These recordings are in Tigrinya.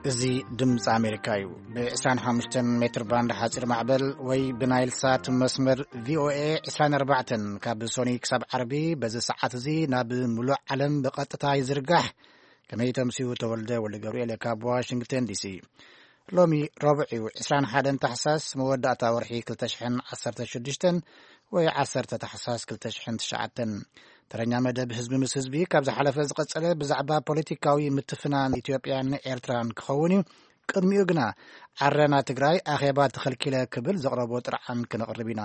እዚ ድምፂ ኣሜሪካ እዩ። ብ25 ሜትር ባንድ ሓፂር ማዕበል ወይ ብናይል ሳት መስመር ቪ ኦ ኤ ዕስራን ኣርባዕተን፣ ካብ ሶኒ ክሳብ ዓርቢ በዚ ሰዓት እዚ ናብ ሙሉእ ዓለም ብቐጥታ ይዝርጋሕ። ከመይ ተምስዩ? ተወልደ ወልደ ገብርኤል ካብ ዋሽንግተን ዲ ሲ። ሎሚ ረቡዕ እዩ፣ ዕስራን ሓደን ታሕሳስ፣ መወዳእታ ወርሒ ክልተ ሽሕን ዓሰርተ ሽዱሽተን ወይ ዓሰርተ ታሕሳስ ክልተ ሽሕን ትሽዓተን። ተረኛ መደብ ህዝቢ ምስ ህዝቢ ካብ ዝሓለፈ ዝቐጸለ ብዛዕባ ፖለቲካዊ ምትፍናን ኢትዮጵያን ኤርትራን ክኸውን እዩ። ቅድሚኡ ግና፣ ዓረና ትግራይ ኣኼባ ተኸልኪለ ክብል ዘቕረቦ ጥርዓን ክነቕርብ ኢና።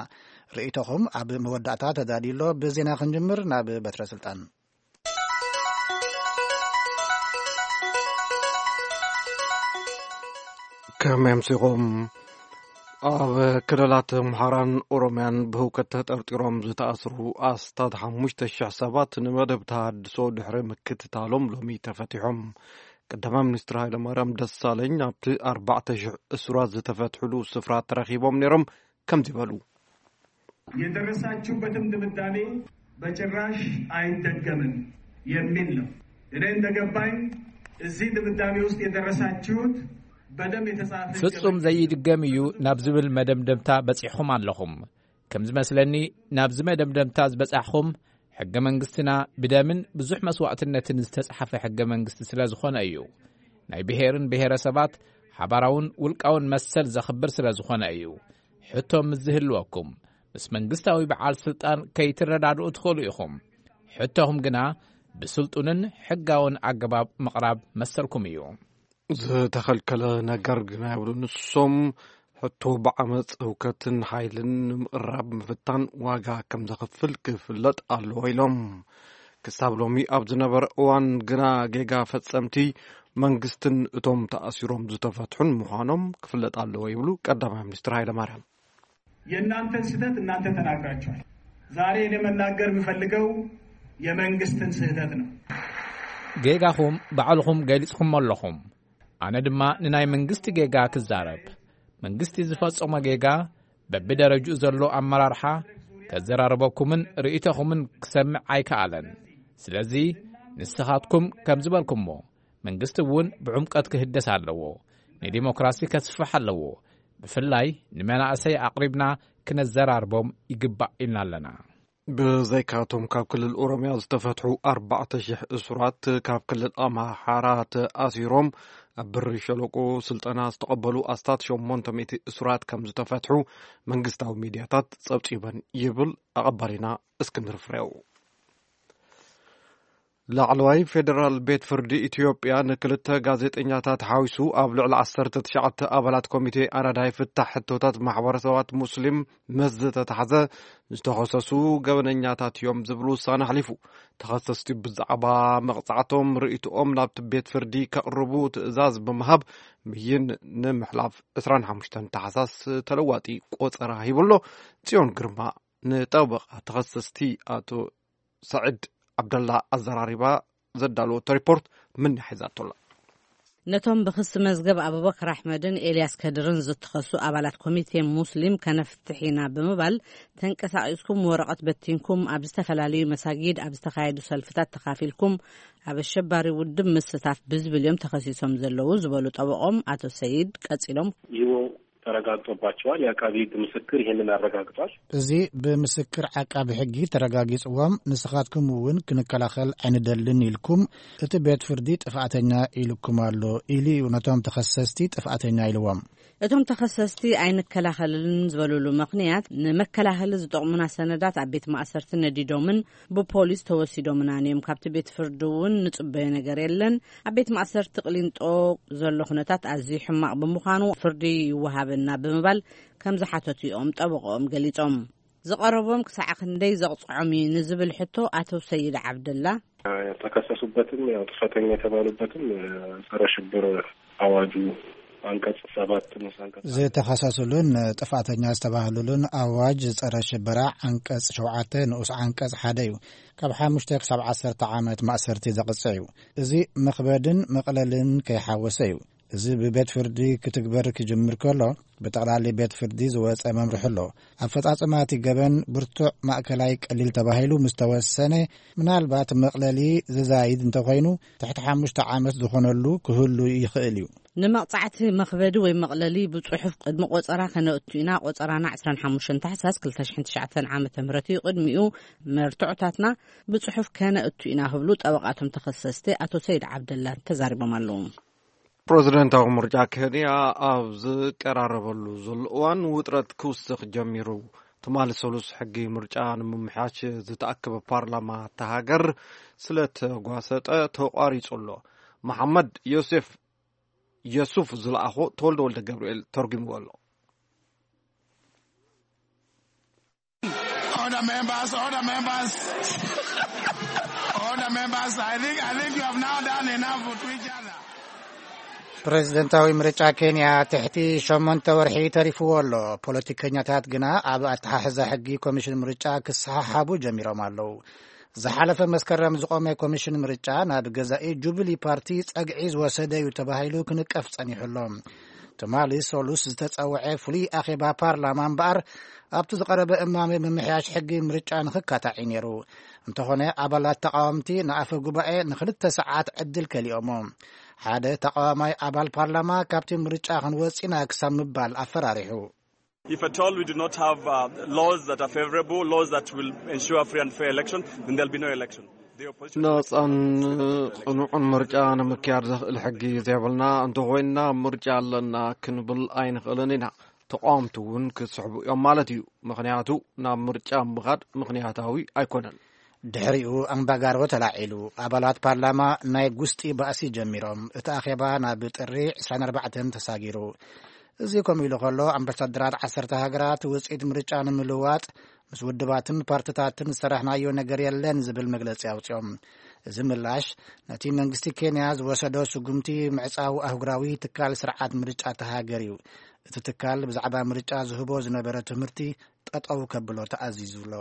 ርእይቶኹም ኣብ መወዳእታ ተዳልዩ ኣሎ። ብዜና ክንጅምር፣ ናብ በትረ ስልጣን። ከመይ ኣምሲኹም? ኣብ ክልላት ኣምሓራን ኦሮምያን ብህውከት ተጠርጢሮም ዝተኣስሩ ኣስታት ሓሙሽተ ሽሕ ሰባት ንመደብ ተሃድሶ ድሕሪ ምክትታሎም ሎሚ ተፈቲሖም። ቀዳማይ ሚኒስትር ሃይለማርያም ደሳለኝ ኣብቲ ኣርባዕተ ሽሕ እሱራት ዝተፈትሕሉ ስፍራ ተረኺቦም ነይሮም። ከምዚ በሉ። የደረሳችሁበትም ድምዳሜ በጭራሽ አይደገምም የሚል ነው። እኔ እንደገባኝ እዚህ ድምዳሜ ውስጥ የደረሳችሁት በደም የተጻፈ ሕገ ፍጹም መንግስት ዘይድገም እዩ ናብ ዝብል መደምደምታ በጺሕኹም ኣለኹም። ከም ዝመስለኒ፣ ናብዚ መደምደምታ ዝበጻሕኹም፣ ሕገ መንግስትና ብደምን ብዙሕ መስዋዕትነትን ዝተጻሕፈ ሕገ መንግስቲ ስለ ዝኾነ እዩ። ናይ ብሄርን ብሄረሰባት ሓባራውን ውልቃውን መሰል ዘኽብር ስለ ዝኾነ እዩ። ሕቶ ምስ ዝህልወኩም፣ ምስ መንግስታዊ በዓል ስልጣን ከይትረዳድኡ ትኽእሉ ኢኹም። ሕቶኹም ግና ብስልጡንን ሕጋውን ኣገባብ ምቕራብ መሰልኩም እዩ። ዝተኸልከለ ነገር ግና የብሉ። ንሶም ሕቶ ብዓመፅ፣ ህውከትን ሓይልን ንምቕራብ ምፍታን ዋጋ ከም ዘኽፍል ክፍለጥ ኣለዎ ኢሎም። ክሳብ ሎሚ ኣብ ዝነበረ እዋን ግና ጌጋ ፈጸምቲ መንግስትን እቶም ተኣሲሮም ዝተፈትሑን ምዃኖም ክፍለጥ ኣለዎ ይብሉ ቀዳማይ ሚኒስትር ሃይለማርያም። የእናንተን ስህተት እናንተ ተናግራችኋል። ዛሬ እኔ መናገር የምፈልገው የመንግስትን ስህተት ነው። ጌጋኹም ባዕልኹም ገሊጽኹሞ ኣለኹም። ኣነ ድማ ንናይ መንግስቲ ጌጋ ክዛረብ። መንግስቲ ዝፈጸሞ ጌጋ በብደረጅኡ ዘሎ ኣመራርሓ ከዘራርበኩምን ርእይቶኹምን ክሰምዕ ኣይከኣለን። ስለዚ ንስኻትኩም ከም ዝበልኩሞ መንግስቲ እውን ብዕምቀት ክህደስ ኣለዎ። ንዲሞክራሲ ከስፍሕ ኣለዎ። ብፍላይ ንመናእሰይ ኣቕሪብና ክነዘራርቦም ይግባእ ኢልና ኣለና። ብዘይካቶም ካብ ክልል ኦሮምያ ዝተፈትሑ ኣርባዕተ ሽሕ እሱራት ካብ ክልል ኣምሓራ ተኣሲሮም ኣብ ብሪ ሸለቆ ስልጠና ዝተቐበሉ ኣስታት ሸሞንተ ሚእቲ እሱራት ከም ዝተፈትሑ መንግስታዊ ሚድያታት ጸብጺበን ይብል ኣቐባሊና እስክንድር ፍሬው። ላዕለዋይ ፌደራል ቤት ፍርዲ ኢትዮጵያ ንክልተ ጋዜጠኛታት ሓዊሱ ኣብ ልዕሊ ዓሰርተ ትሽዓተ ኣባላት ኮሚቴ ኣራዳይ ፍታሕ ሕቶታት ማሕበረሰባት ሙስሊም ምስ ዝተታሕዘ ዝተኸሰሱ ገበነኛታት እዮም ዝብል ውሳነ ኣሕሊፉ። ተኸሰስቲ ብዛዕባ መቕጻዕቶም ርእይቶኦም ናብቲ ቤት ፍርዲ ከቕርቡ ትእዛዝ ብምሃብ ብይን ንምሕላፍ ዕስራን ሓሙሽተን ታሕሳስ ተለዋጢ ቆጸራ ሂቡ ኣሎ። ጽዮን ግርማ ንጠበቓ ተኸሰስቲ ኣቶ ሰዒድ ዓብደላ ኣዘራሪባ ዘዳለወቶ ሪፖርት ምንያ ሒዛቶ ኣላ። ነቶም ብክሲ መዝገብ ኣቡበከር ኣሕመድን ኤልያስ ከድርን ዝተኸሱ ኣባላት ኮሚቴ ሙስሊም ከነፍትሕ ኢና ብምባል፣ ተንቀሳቒስኩም ወረቐት በቲንኩም ኣብ ዝተፈላለዩ መሳጊድ ኣብ ዝተኻየዱ ሰልፍታት ተኻፊልኩም ኣብ ኣሸባሪ ውድብ ምስታፍ ብዝብል እዮም ተኸሲሶም ዘለዉ ዝበሉ ጠበቖም ኣቶ ሰይድ ቀጺሎም። ይህ ተረጋግጦባቸዋል። የአቃቢ ህግ ምስክር ይህንን አረጋግጧል። እዚ ብምስክር ዓቃቢ ሕጊ ተረጋጊጽዎም፣ ንስኻትኩም እውን ክንከላኸል ኣይንደልን ኢልኩም፣ እቲ ቤት ፍርዲ ጥፍኣተኛ ኢልኩም ኣሎ ኢሉ እዩ ነቶም ተኸሰስቲ ጥፍኣተኛ ኢልዎም። እቶም ተኸሰስቲ ኣይንከላኸልን ዝበሉሉ ምኽንያት፣ ንመከላኸሊ ዝጠቕሙና ሰነዳት ኣብ ቤት ማእሰርቲ ነዲዶምን ብፖሊስ ተወሲዶምናን እዮም። ካብቲ ቤት ፍርዲ እውን ንጽበዮ ነገር የለን። ኣብ ቤት ማእሰርቲ ቅሊንጦ ዘሎ ኩነታት ኣዝዩ ሕማቕ ብምዃኑ ፍርዲ ይወሃበና ብምባል ከም ዝሓተቱ እዮም ጠበቆኦም ገሊጾም። ዝቐረቦም ክሳዕ ክንደይ ዘቕጽዖም እዩ ንዝብል ሕቶ ኣቶ ሰይድ ዓብደላ። የተከሰሱበትም ያው ጥፋተኛ የተባሉበትም ጸረ ሽብር አዋጁ አንቀጽ ሰባት ንኡስ አንቀጽ ዝተኸሰሱሉን ጥፋተኛ ዝተባህሉሉን ኣዋጅ ጸረ ሽበራ ዓንቀጽ ሸውዓተ ንኡስ ዓንቀጽ ሓደ እዩ። ካብ ሓሙሽተ ክሳብ ዓሰርተ ዓመት ማእሰርቲ ዘቕጽዕ እዩ። እዚ መኽበድን መቕለልን ከይሓወሰ እዩ። እዚ ብቤት ፍርዲ ክትግበር ክጅምር ከሎ፣ ብጠቕላሊ ቤት ፍርዲ ዝወጸ መምርሒ ኣሎ። ኣፈጻጽማ እቲ ገበን ብርቱዕ፣ ማእከላይ፣ ቀሊል ተባሂሉ ምስ ተወሰነ፣ ምናልባት መቕለሊ ዝዛይድ እንተኾይኑ፣ ትሕቲ ሓሙሽተ ዓመት ዝኾነሉ ክህሉ ይኽእል እዩ። ንመቕጻዕቲ መኽበዲ ወይ መቕለሊ ብጽሑፍ ቅድሚ ቆጸራ ከነእቱ ኢና። ቆጸራና ዕስራን ሓሙሽተን ታሕሳስ ክልተ ሽሕን ትሽዓተን ዓመተ ምህረት እዩ። ቅድሚኡ መርትዖታትና ብጽሑፍ ከነእቱ ኢና ክብሉ ጠበቓቶም ተኸሰስቲ ኣቶ ሰይድ ዓብደላ ተዛሪቦም ኣለዉ። ፕረዚደንታዊ ምርጫ ኬንያ ኣብ ዝቀራረበሉ ዘሎ እዋን ውጥረት ክውስኽ ጀሚሩ። ትማሊ ሰሉስ ሕጊ ምርጫ ንምምሕያሽ ዝተኣከበ ፓርላማ እታ ሃገር ስለ ተጓሰጠ ተቋሪጹ ኣሎ። መሓመድ ዮሴፍ የሱፍ ዝለኣኾ ተወልደ ወልደ ገብርኤል ተርጉምዎ ኣሎ። Order members, order members. Order members, I think, I think you have now done enough to each other. ፕሬዝደንታዊ ምርጫ ኬንያ ትሕቲ ሸሞንተ ወርሒ ተሪፍዎ ኣሎ። ፖለቲከኛታት ግና ኣብ ኣተሓሕዛ ሕጊ ኮሚሽን ምርጫ ክሰሓሓቡ ጀሚሮም ኣለዉ። ዝሓለፈ መስከረም ዝቖመ ኮሚሽን ምርጫ ናብ ገዛኢ ጁብሊ ፓርቲ ጸግዒ ዝወሰደ እዩ ተባሂሉ ክንቀፍ ጸኒሑ ኣሎ። ትማሊ ሶሉስ ዝተጸውዐ ፍሉይ ኣኼባ ፓርላማ እምበኣር፣ ኣብቲ ዝቐረበ እማመ ምምሕያሽ ሕጊ ምርጫ ንኽካታዕ እዩ ነይሩ። እንተኾነ፣ ኣባላት ተቓወምቲ ንኣፈ ጉባኤ ንኽልተ ሰዓት ዕድል ከሊኦሞ። ሓደ ተቓዋማይ ኣባል ፓርላማ፣ ካብቲ ምርጫ ክንወጽእ ኢና ክሳብ ምባል ኣፈራሪሑ። If at all we do not have uh, laws that are favorable, laws that will ensure free and fair election, then there'll be no election. The opposition ናጻን ቅኑዕን ምርጫ ንምክያድ ዘኽእል ሕጊ ዘይብልና እንተኾይንና፣ ምርጫ ኣለና ክንብል ኣይንኽእልን ኢና። ተቓወምቲ እውን ክስሕቡ እዮም ማለት እዩ። ምኽንያቱ፣ ናብ ምርጫ ምኻድ ምኽንያታዊ ኣይኮነን። ድሕሪኡ ኣምባጋሮ ተላዒሉ። ኣባላት ፓርላማ ናይ ጉስጢ ባእሲ ጀሚሮም። እቲ ኣኼባ ናብ ጥሪ ዕስራን ኣርባዕተን ተሳጊሩ። እዚ ከምኡ ኢሉ ከሎ፣ ኣምባሳደራት ዓሰርተ ሃገራት ውጽኢት ምርጫ ንምልዋጥ ምስ ውድባትን ፓርትታትን ዝሰራሕናዮ ነገር የለን ዝብል መግለጺ ኣውጺኦም። እዚ ምላሽ፣ ነቲ መንግስቲ ኬንያ ዝወሰዶ ስጉምቲ ምዕጻው ኣህጉራዊ ትካል ስርዓት ምርጫ እታ ሃገር እዩ። እቲ ትካል ብዛዕባ ምርጫ ዝህቦ ዝነበረ ትምህርቲ ጠጠው ከብሎ ተኣዚዙ ኣሎ።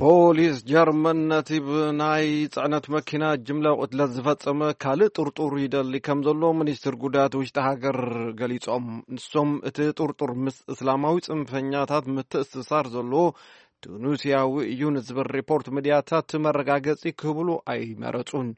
ፖሊስ ጀርመን ነቲ ብናይ ጽዕነት መኪና ጅምላ ቅትለት ዝፈጸመ ካልእ ጥርጡር ይደሊ ከም ዘሎ ሚኒስትር ጉዳያት ውሽጢ ሃገር ገሊጾም። ንሶም እቲ ጥርጡር ምስ እስላማዊ ጽንፈኛታት ምትእስሳር ዘለዎ ቱኒስያዊ እዩ ንዝብል ሪፖርት ሚድያታት መረጋገጺ ክህብሉ ኣይመረጹን።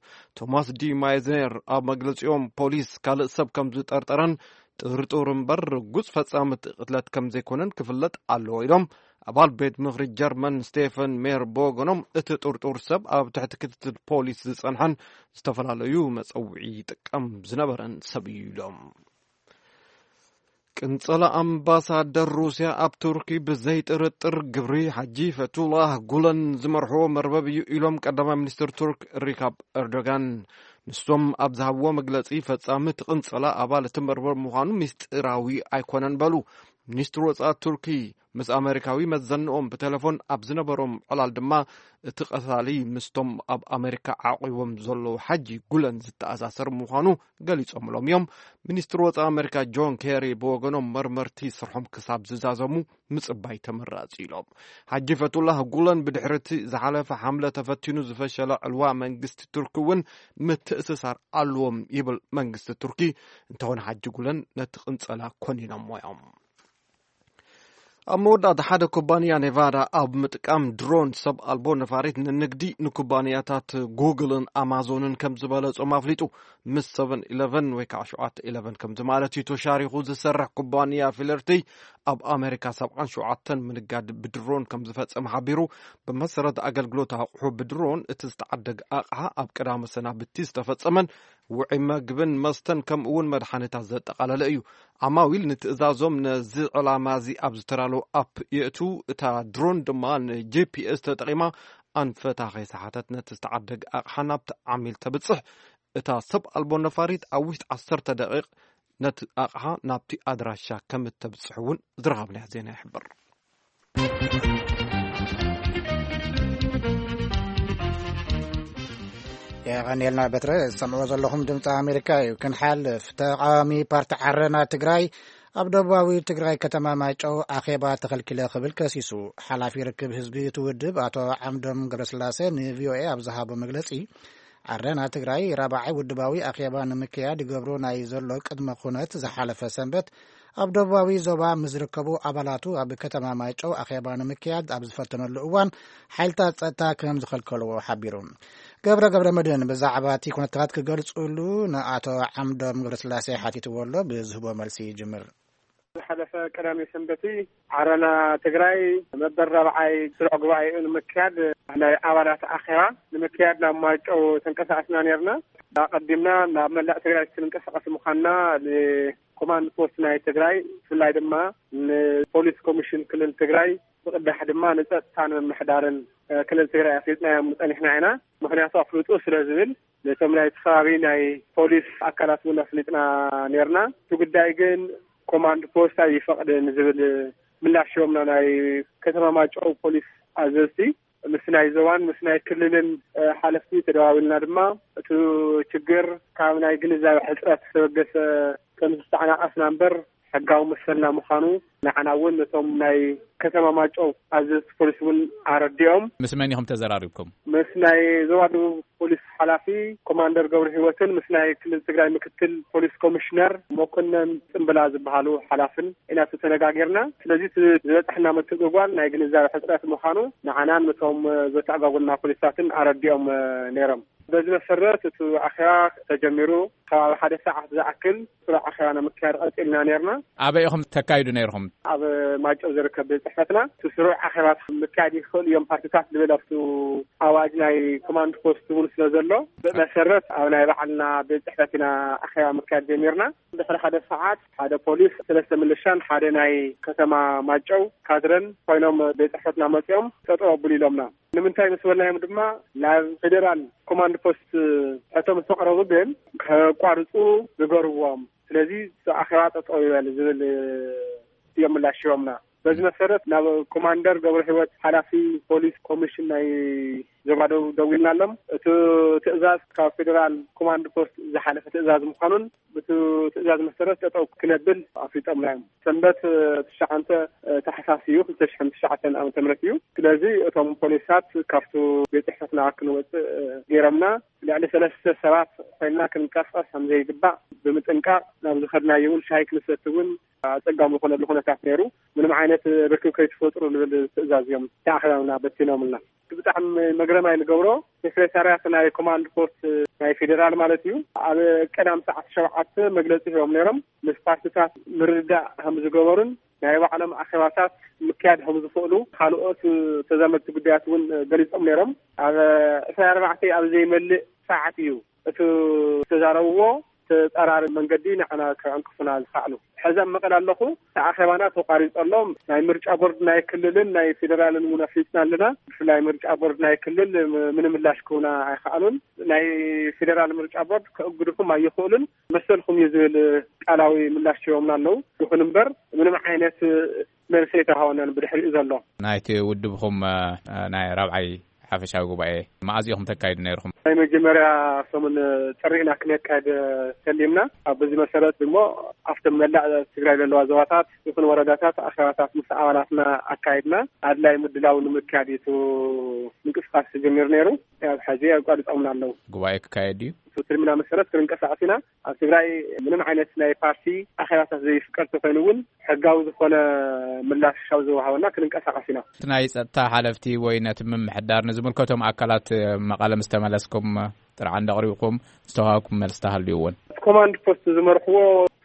ቶማስ ዲ ማይዝነር ኣብ መግለጺኦም፣ ፖሊስ ካልእ ሰብ ከም ዝጠርጠረን ጥርጡር እምበር ርጉጽ ፈጻሚ እቲ ቅትለት ከም ዘይኮነን ክፍለጥ ኣለዎ ኢሎም። ኣባል ቤት ምኽሪ ጀርመን ስቴፈን ሜር ብወገኖም፣ እቲ ጥርጡር ሰብ ኣብ ትሕቲ ክትትል ፖሊስ ዝጸንሐን ዝተፈላለዩ መጸውዒ ይጥቀም ዝነበረን ሰብ እዩ ኢሎም። ቅንጸላ ኣምባሳደር ሩስያ ኣብ ቱርኪ ብዘይጥርጥር ግብሪ ሓጂ ፈቱላህ ጉለን ዝመርሕዎ መርበብ እዩ ኢሎም ቀዳማይ ሚኒስትር ቱርክ ሪካብ ኤርዶጋን። ንሶም ኣብ ዝሃብዎ መግለጺ፣ ፈጻሚ እቲ ቅንጸላ ኣባል እቲ መርበብ ምዃኑ ምስጢራዊ ኣይኮነን በሉ። ሚኒስትር ወጻኢ ቱርኪ ምስ ኣመሪካዊ መዘንኦም ብቴሌፎን ኣብ ዝነበሮም ዕላል ድማ፣ እቲ ቀታሊ ምስቶም ኣብ ኣመሪካ ዓቂቦም ዘለዉ ሓጂ ጉለን ዝተኣሳሰር ምዃኑ ገሊጾምሎም እዮም። ሚኒስትር ወጻኢ ኣመሪካ ጆን ኬሪ ብወገኖም፣ መርመርቲ ስርሖም ክሳብ ዝዛዘሙ ምጽባይ ተመራጺ ኢሎም። ሓጂ ፈቱላህ ጉለን ብድሕሪ እቲ ዝሓለፈ ሓምለ ተፈቲኑ ዝፈሸለ ዕልዋ መንግስቲ ቱርኪ እውን ምትእስሳር ኣለዎም ይብል መንግስቲ ቱርኪ። እንተኾነ ሓጂ ጉለን ነቲ ቅንጸላ ኮኒኖሞ እዮም። ኣብ መወዳእታ፣ ሓደ ኩባንያ ኔቫዳ ኣብ ምጥቃም ድሮን ሰብ ኣልቦ ነፋሪት ንንግዲ ንኩባንያታት ጉግልን ኣማዞንን ከም ዝበለጾም ኣፍሊጡ። ምስ ሰቨን ኢለቨን ወይ ከዓ ሸውዓተ ኢለቨን ከምዚ ማለት እዩ ተሻሪኹ ዝሰርሕ ኩባንያ ፊለርቲ ኣብ ኣሜሪካ ሰብዓን ሸውዓተን ምንጋድ ብድሮን ከም ዝፈጸመ ሓቢሩ። ብመሰረት ኣገልግሎት ኣቑሑ ብድሮን እቲ ዝተዓደገ ኣቕሓ ኣብ ቀዳመ ሰናብቲ ዝተፈጸመን ውዑይ መግብን መስተን ከምኡ እውን መድሓኒታት ዘጠቓለለ እዩ። ዓማዊል ንትእዛዞም ነዚ ዕላማ እዚ ኣብ ዝተዳለወ ኣፕ የእቱ። እታ ድሮን ድማ ንጂፒኤስ ተጠቒማ ኣንፈታ ከይሰሓተት ነቲ ዝተዓደገ ኣቕሓ ናብቲ ዓሚል ተብጽሕ። እታ ሰብ ኣልቦ ነፋሪት ኣብ ውሽጢ ዓሰርተ ደቂቕ ነቲ ኣቕሓ ናብቲ ኣድራሻ ከም እተብጽሕ እውን ዝረኸብናዮ ዜና ይሕብር። የቐንየልና በትረ። ዝሰምዕዎ ዘለኹም ድምፂ ኣሜሪካ እዩ። ክንሓልፍ፣ ተቃዋሚ ፓርቲ ዓረና ትግራይ ኣብ ደቡባዊ ትግራይ ከተማ ማይጨው ኣኼባ ተኸልኪለ ክብል ከሲሱ። ሓላፊ ርክብ ህዝቢ እቲ ውድብ ኣቶ ዓምዶም ገብረስላሴ ንቪኦኤ ኣብ ዝሃቦ መግለፂ፣ ዓረና ትግራይ ራብዓይ ውድባዊ ኣኼባ ንምክያድ ይገብሮ ናይ ዘሎ ቅድመ ኩነት ዝሓለፈ ሰንበት ኣብ ደቡባዊ ዞባ ምስ ዝርከቡ ኣባላቱ ኣብ ከተማ ማይጨው ኣኼባ ንምክያድ ኣብ ዝፈተነሉ እዋን ሓይልታት ጸጥታ ከም ዝኸልከልዎ ሓቢሩ። ገብረ ገብረ መድህን ብዛዕባ እቲ ኩነታት ክገልጹሉ ንኣቶ ዓምዶም ገብረስላሴ ሓቲትዎ ኣሎ፣ ብዝህቦ መልሲ ይጅምር። ዝሓለፈ ቀዳመ ሰንበቲ ዓረና ትግራይ መበል ራብዓይ ስሩዕ ጉባኤኡ ንምክያድ ናይ ኣባላት ኣኼባ ንምክያድ ናብ ማይጨው ተንቀሳቐስና ነርና። ኣቐዲምና ናብ መላእ ትግራይ ክንንቀሳቐስ ምዃንና ንኮማንድ ፖስት ናይ ትግራይ፣ ብፍላይ ድማ ንፖሊስ ኮሚሽን ክልል ትግራይ፣ ብቕዳሕ ድማ ንጸጥታን ምምሕዳርን ክልል ትግራይ ኣፍሊጥናዮም ጸኒሕና ኢና። ምኽንያቱ ኣፍልጡ ስለ ዝብል ነቶም ናይቲ ከባቢ ናይ ፖሊስ ኣካላት እውን ኣፍሊጥና ነርና። እቲ ጉዳይ ግን ኮማንድ ፖስት ኣይፈቕድን ዝብል ምላሽ ሂቦምና ናይ ከተማ ማይጨው ፖሊስ ኣዘዝቲ። ምስ ናይ ዞባን ምስ ናይ ክልልን ሓለፍቲ ተደዋዊልና ድማ እቲ ችግር ካብ ናይ ግንዛቤ ሕፅረት ዝተበገሰ ከም ዝተዓናቐፍና እምበር ሕጋዊ መሰልና ምዃኑ ንዓና እውን ነቶም ናይ ከተማ ማይጨው ኣዘዝቲ ፖሊስ እውን ኣረዲኦም። ምስ መን ኢኹም ተዘራሪብኩም? ምስ ናይ ዞባ ደቡብ ፖሊስ ሓላፊ ኮማንደር ገብረ ህይወትን ምስ ናይ ክልል ትግራይ ምክትል ፖሊስ ኮሚሽነር መኮነን ጽምብላ ዝበሃሉ ሓላፍን ኢና ተነጋጊርና። ስለዚ እቲ ዝበጻሕና ምትእጉጓል ናይ ግንዛቤ ሕጽረት ምዃኑ ንዓናን ነቶም ዘተኣጓጉልና ፖሊሳትን ኣረዲኦም ነይሮም። በዚ መሰረት እቲ ኣኼባ ተጀሚሩ ከባቢ ሓደ ሰዓት ዝኣክል ስሩዕ ኣኼባ ንምክያድ ቀጺልና ነርና። ኣበይ ኢኹም ተካይዱ ነይርኹም? ኣብ ማይጨው ዝርከብ ቤት ጽሕፈትና እቲ ስሩዕ ኣኼባ ምክያድ ይኽእሉ እዮም ፓርቲታት ዝብል ኣብቲ ኣዋጅ ናይ ኮማንድ ፖስት እውን ስለ ዘሎ፣ ብመሰረት ኣብ ናይ ባዕልና ቤት ጽሕፈት ኢና ኣኼባ ምክያድ ጀሚርና። ድሕሪ ሓደ ሰዓት ሓደ ፖሊስ፣ ሰለስተ ምልሻን ሓደ ናይ ከተማ ማይጨው ካድረን ኮይኖም ቤት ጽሕፈትና መጺኦም ጠጠው ኣብሉ ኢሎምና። ንምንታይ ምስ በልናዮም ድማ ናብ ፌደራል ኮማንድ ፖስት ሕቶ ምስ ኣቕረቡ ግን ከቋርጹ ንገርዎም። ስለዚ እቲ ኣኼባ ጠጠው ይበል ዝብል እዮም ምላሽ ሂቦምና። በዚ መሰረት ናብ ኮማንደር ገብረ ህይወት ሓላፊ ፖሊስ ኮሚሽን ናይ ዞባ ደቡብ ደዊልና ኣሎም። እቲ ትእዛዝ ካብ ፌደራል ኮማንድ ፖስት ዝሓለፈ ትእዛዝ ምዃኑን ብቲ ትእዛዝ መሰረት ጠጠው ክነብል ኣፍሊጦምና እዮም። ሰንበት ትሽዓተ ታሕሳስ እዩ፣ ክልተ ሽሕን ትሽዓተን ዓመተ ምህረት እዩ። ስለዚ እቶም ፖሊሳት ካብቲ ቤት ጽሕፈትና ክንወጽእ ገይሮምና። ልዕሊ ሰለስተ ሰባት ኮይንና ክንቀሳቐስ ከም ዘይግባእ ብምጥንቃቕ ናብ ዝኸድናዮ እውን ሻሂ ክንሰቲ እውን ኣጸጋሚ ዝኾነሉ ኩነታት ነይሩ። ምንም ዓይነት ርክብ ከይትፈጥሩ ዝብል ትእዛዝ እዮም ተኣኺቦምና በቲኖምልና። ብጣዕሚ መግረማይ ንገብሮ ሴክሬታርያት ናይ ኮማንድ ፖስት ናይ ፌዴራል ማለት እዩ ኣብ ቀዳም ሰዓት ሸውዓተ መግለጺ ሂቦም ነይሮም። ምስ ፓርቲታት ምርድዳእ ከም ዝገበሩን ናይ ባዕሎም ኣኼባታት ምክያድ ከም ዝኽእሉ ካልኦት ተዛመድቲ ጉዳያት እውን ገሊጾም ነይሮም። ኣብ ዕስራን ኣርባዕተን ኣብ ዘይመልእ ሰዓት እዩ እቲ ዝተዛረብዎ ተጻራሪ መንገዲ ንዓና ከዕንቅፉና ዝኸኣሉ። ሕዚ ኣብ መቐለ ኣለኹ። እቲ ኣኼባና ተቋሪጹ ኣሎ። ናይ ምርጫ ቦርድ ናይ ክልልን ናይ ፌዴራልን እውን ኣፍሊጥና ኣለና። ብፍላይ ምርጫ ቦርድ ናይ ክልል ምንም ምላሽ ክህቡና ኣይኸኣሉን። ናይ ፌዴራል ምርጫ ቦርድ ከእግድኹም ኣይኽእሉን፣ መሰልኩም እዩ ዝብል ቃላዊ ምላሽ ሂቦምና ኣለዉ። ይኹን እምበር ምንም ዓይነት መልሲ ኣይተዋህበናን ብድሕሪኡ ዘሎ። ናይቲ ውድብኹም ናይ ራብዓይ ሓፈሻዊ ጉባኤ መኣዝ ኢኹም ተካይዱ ነይርኹም? ናይ መጀመርያ ሰሙን ጥሪ ኢና ክነካይድ ሰሊምና። ኣብ በዚ መሰረት ድማ ኣብቶም መላእ ትግራይ ዘለዋ ዞባታት ይኹን ወረዳታት ኣኼባታት ምስ ኣባላትና ኣካይድና። ኣድላይ ምድላው ንምክያድ እዩ እቲ ምንቅስቃስ ተጀሚሩ ነይሩ። ኣብ ሕዚ ኣቋሪጾምና ኣለዉ። ጉባኤ ክካየድ ድዩ? እቲ ትልምና መሰረት ክንንቀሳቐስ ኢና። ኣብ ትግራይ ምንም ዓይነት ናይ ፓርቲ ኣኼባታት ዘይፍቀድ ተኾይኑ እውን ሕጋዊ ዝኾነ ምላሽ ካብ ዝወሃበና ክንንቀሳቐስ ኢና። እቲ ናይ ጸጥታ ሓለፍቲ ወይ ነቲ ምምሕዳር ንዝምልከቶም ኣካላት መቐለ ምስ ተመለስኩም ጥርዓን ኣቕሪብኩም ዝተዋሃብኩም መልሲ ተሃልዩ እውን? እቲ ኮማንድ ፖስት ዝመርሕዎ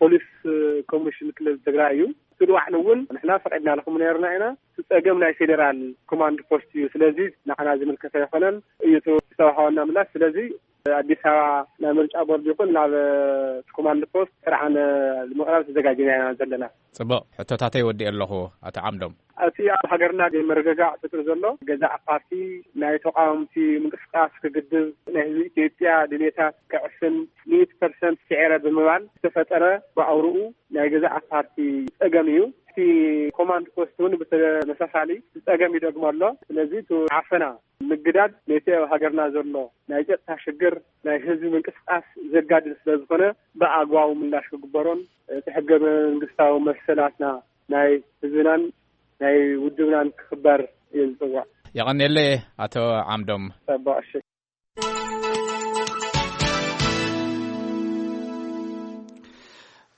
ፖሊስ ኮሚሽን ክልል ትግራይ እዩ። እቲ ንባዕሉ እውን ንሕና ፈቒድናልኩም ነርና ኢና። እቲ ጸገም ናይ ፌዴራል ኮማንድ ፖስት እዩ። ስለዚ ንዓና ዝምልከት ኣይኮነን እዩ እቲ ዝተዋሃበና ምላሽ። ስለዚ ኣዲስ ኣበባ ናብ ምርጫ ቦርድ ይኹን ናብ እቲ ኮማንድ ፖስት ጥርዓን ንምቕራብ ተዘጋጅና ኢና ዘለና። ጽቡቕ፣ ሕቶታተይ ወዲኤ ኣለኹ ኣቶ ዓምዶም። እቲ ኣብ ሃገርና ዘይምርግጋእ ፈጢሩ ዘሎ ገዛእ ፓርቲ ናይ ተቃወምቲ ምንቅስቃስ ክግድብ፣ ናይ ህዝቢ ኢትዮጵያ ድሌታት ክዕፍን ሚእቲ ፐርሰንት ስዒረ ብምባል ዝተፈጠረ ብኣውርኡ ናይ ገዛእ ፓርቲ ጸገም እዩ። እቲ ኮማንድ ፖስት እውን ብተመሳሳሊ ጸገም ይደግሞ ኣሎ። ስለዚ እቲ ዓፈና ምግዳድ ነቲ ኣብ ሃገርና ዘሎ ናይ ጸጥታ ሽግር ናይ ህዝቢ ምንቅስቃስ ዘጋድድ ስለ ዝኾነ ብኣግባቡ ምላሽ ክግበሮን እቲ ሕገ መንግስታዊ መሰላትና ናይ ህዝብናን ናይ ውድብናን ክኽበር እየ ዝጽውዕ። የቐንየለይ ኣቶ ዓምዶም። ጸባቕ፣ እሺ።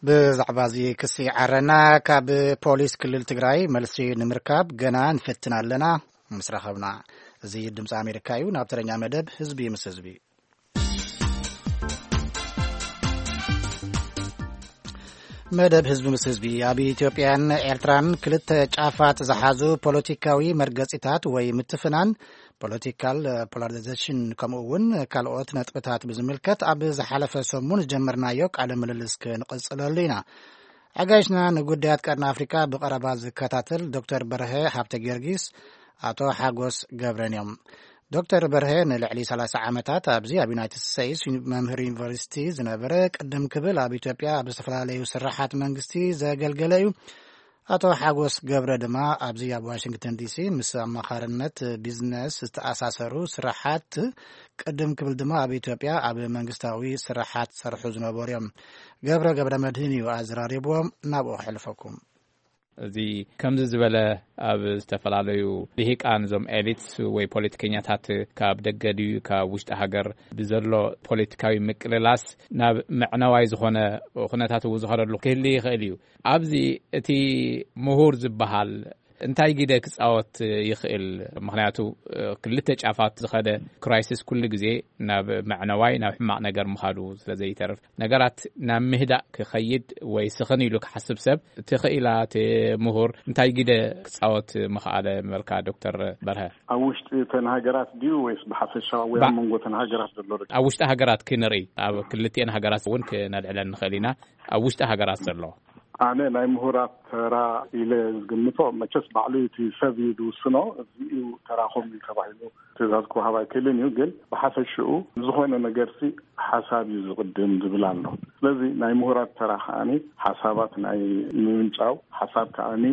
ብዛዕባ እዚ ክሲ ዓረና ካብ ፖሊስ ክልል ትግራይ መልሲ ንምርካብ ገና ንፍትን ኣለና። ምስ ረኸብና። እዚ ድምፂ ኣሜሪካ እዩ። ናብ ተረኛ መደብ ህዝቢ ምስ ህዝቢ። መደብ ህዝቢ ምስ ህዝቢ ኣብ ኢትዮጵያን ኤርትራን ክልተ ጫፋት ዝሓዙ ፖለቲካዊ መርገጺታት ወይ ምትፍናን፣ ፖለቲካል ፖላራይዜሽን፣ ከምኡ እውን ካልኦት ነጥብታት ብዝምልከት ኣብ ዝሓለፈ ሰሙን ዝጀመርናዮ ቃለ ምልልስ ክንቕጽለሉ ኢና። ኣጋይሽና ንጉዳያት ቀርኒ ኣፍሪካ ብቐረባ ዝከታተል ዶክተር በርሀ ሃብተ ጊዮርጊስ፣ ኣቶ ሓጎስ ገብረን እዮም። ዶክተር በርሀ ንልዕሊ ሰላሳ ዓመታት ኣብዚ ኣብ ዩናይትድ ስቴትስ መምህር ዩኒቨርሲቲ ዝነበረ፣ ቅድም ክብል ኣብ ኢትዮጵያ ኣብ ዝተፈላለዩ ስራሓት መንግስቲ ዘገልገለ እዩ። ኣቶ ሓጎስ ገብረ ድማ ኣብዚ ኣብ ዋሽንግተን ዲሲ ምስ ኣማኻርነት ቢዝነስ ዝተኣሳሰሩ ስራሓት፣ ቅድም ክብል ድማ ኣብ ኢትዮጵያ ኣብ መንግስታዊ ስራሓት ሰርሑ ዝነበሩ እዮም። ገብረ ገብረ መድህን እዩ ኣዘራሪብዎም። ናብኡ ከሕልፈኩም። እዚ ከምዚ ዝበለ ኣብ ዝተፈላለዩ ልሂቃን፣ እዞም ኤሊትስ ወይ ፖለቲከኛታት፣ ካብ ደገ ድዩ ካብ ውሽጢ ሃገር ብዘሎ ፖለቲካዊ ምቅልላስ ናብ መዕነዋይ ዝኾነ ኩነታት እውን ዝኸደሉ ክህሊ ይኽእል እዩ። ኣብዚ እቲ ምሁር ዝበሃል እንታይ ግደ ክጻወት ይኽእል? ምኽንያቱ፣ ክልተ ጫፋት ዝኸደ ክራይሲስ ኩሉ ግዜ ናብ መዕነዋይ፣ ናብ ሕማቕ ነገር ምኻዱ ስለ ዘይተርፍ፣ ነገራት ናብ ምህዳእ ክኸይድ ወይ ስኽን ኢሉ ክሓስብ ሰብ፣ እቲ ክኢላ፣ እቲ ምሁር እንታይ ግደ ክጻወት ምኽኣለ ምበልካ ዶክተር በርሀ? ኣብ ውሽጢ እተን ሃገራት ድዩ ወይስ ብሓፈሻ ወይ ባ- ኣብ መንጎ እተን ሃገራት ዘሎ ርክብ? ኣብ ውሽጢ ሃገራት ክንርኢ፣ ኣብ ክልቲኤን ሃገራት እውን ክነልዕለን ንኽእል ኢና። ኣብ ውሽጢ ሃገራት ዘሎ ኣነ ናይ ምሁራት ተራ ኢለ ዝግምቶ፣ መቸስ ባዕሉ እቲ ሰብ እዩ ዝውስኖ። እዚ እዩ ተራኹም እዩ ተባሂሉ ትእዛዝ ክወሃብ ኣይክእልን እዩ። ግን ብሓፈሽኡ ዝኾነ ነገርሲ ሓሳብ እዩ ዝቕድም ዝብል ኣሎ። ስለዚ ናይ ምሁራት ተራ ከዓኒ ሓሳባት ናይ ምምንጫው፣ ሓሳብ ከዓኒ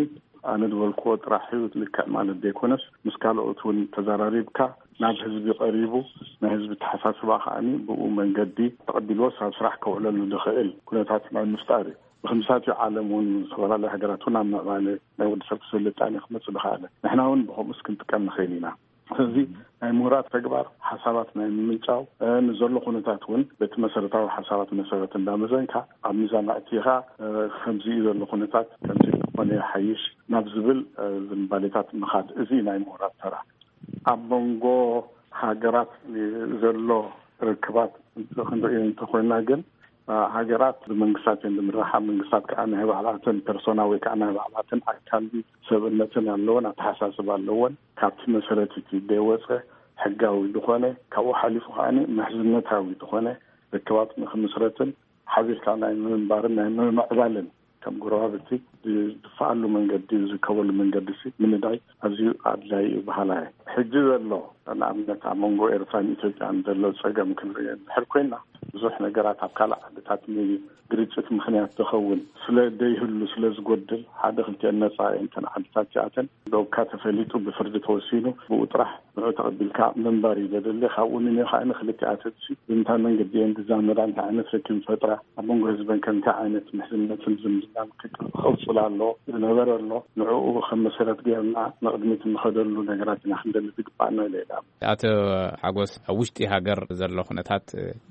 ኣነ ዝበልክዎ ጥራሕ እዩ ልክዕ ማለት ዘይኮነስ፣ ምስ ካልኦት እውን ተዘራሪብካ፣ ናብ ህዝቢ ቀሪቡ፣ ናይ ህዝቢ ተሓሳስባ ከዓኒ ብኡ መንገዲ ተቐቢልዎስ ኣብ ስራሕ ከውዕለሉ ዝኽእል ኩነታት ናይ ምፍጣር እዩ። ብክምሳት እዩ ዓለም እውን፣ ዝተፈላለዩ ሃገራት እውን ኣብ ምዕባለ ናይ ወዲ ሰብ ስልጣኔ ክመፅእ ዝኸኣለ። ንሕና እውን ብኸምኡስ ክንጥቀም ንኽእል ኢና። ስለዚ ናይ ምሁራት ተግባር ሓሳባት ናይ ምምንጫው፣ እ፣ ንዘሎ ኩነታት እውን በቲ መሰረታዊ ሓሳባት መሰረት እንዳመዘንካ ኣብ ሚዛን ኣእቲኻ፣ እ፣ ከምዚ እዩ ዘሎ ኩነታት፣ ከምዚ ክኾነ ይሓይሽ ናብ ዝብል፣ እ፣ ዝንባሌታት ምኻድ፣ እዚ ናይ ምሁራት ተራ። ኣብ መንጎ ሃገራት ዘሎ ርክባት ክንርኢ እንተኾይና ግን፣ ሃገራት ብመንግስታት እየን ዝምርሓ። መንግስታት ከዓ ናይ ባዕላተን ፐርሶና ወይ ከዓ ናይ ባዕላተን ኣካል ሰብእነትን ኣለወን፣ ኣተሓሳስባ ኣለወን። ካብቲ መሰረት እቲ ዘይወፀ ሕጋዊ ዝኾነ፣ ካብኡ ሓሊፉ ከዓ ምሕዝነታዊ ዝኾነ ርክባት ንክምስረትን ሓቢርካ ናይ ምንባርን ናይ ምምዕባልን ከም ጎረባብቲ ዝድፍኣሉ መንገዲ፣ ዝርከበሉ መንገዲ ሲ ምንዳይ ኣዝዩ ኣድላይ እዩ በሃላይ። ሕጂ ዘሎ ንኣብነት ኣብ መንጎ ኤርትራን ኢትዮጵያን ዘሎ ጸገም ክንርኢ እንድሕር ኮይና፣ ብዙሕ ነገራት ኣብ ካልእ ዓድታት ንግርጭት ምኽንያት ዝኸውን ስለ ዘይህሉ፣ ስለ ዝጎድል፣ ሓደ ክልቲአን ነጻ እየን እተን ዓድታት እዚኣተን። ዶብካ ተፈሊጡ ብፍርዲ ተወሲኑ ብኡ ጥራሕ ንዑ ተቐቢልካ ምንባር እዩ ዘድሊ። ካብኡ ንንዮ ከዓ ንክልቲኣተን ሲ ብምንታይ መንገዲ እየን ዝዛመዳ፣ እንታይ ዓይነት ርክብ ይፈጥራ፣ ኣብ መንጎ ህዝበን ከ እንታይ ዓይነት ምሕዝነትን ዝምድናን ክቅ-፣ ክቕጽል ኣሎ፣ ዝነበረ ኣሎ፣ ንዕኡ ከም መሰረት ገይርና ንቕድሚት እንኸደሉ ነገራት ኢና ክንደሊ ዝግባኣና ኢለ እየ ዝኣምን። ኣቶ ሓጎስ፣ ኣብ ውሽጢ ሃገር ዘሎ ኩነታት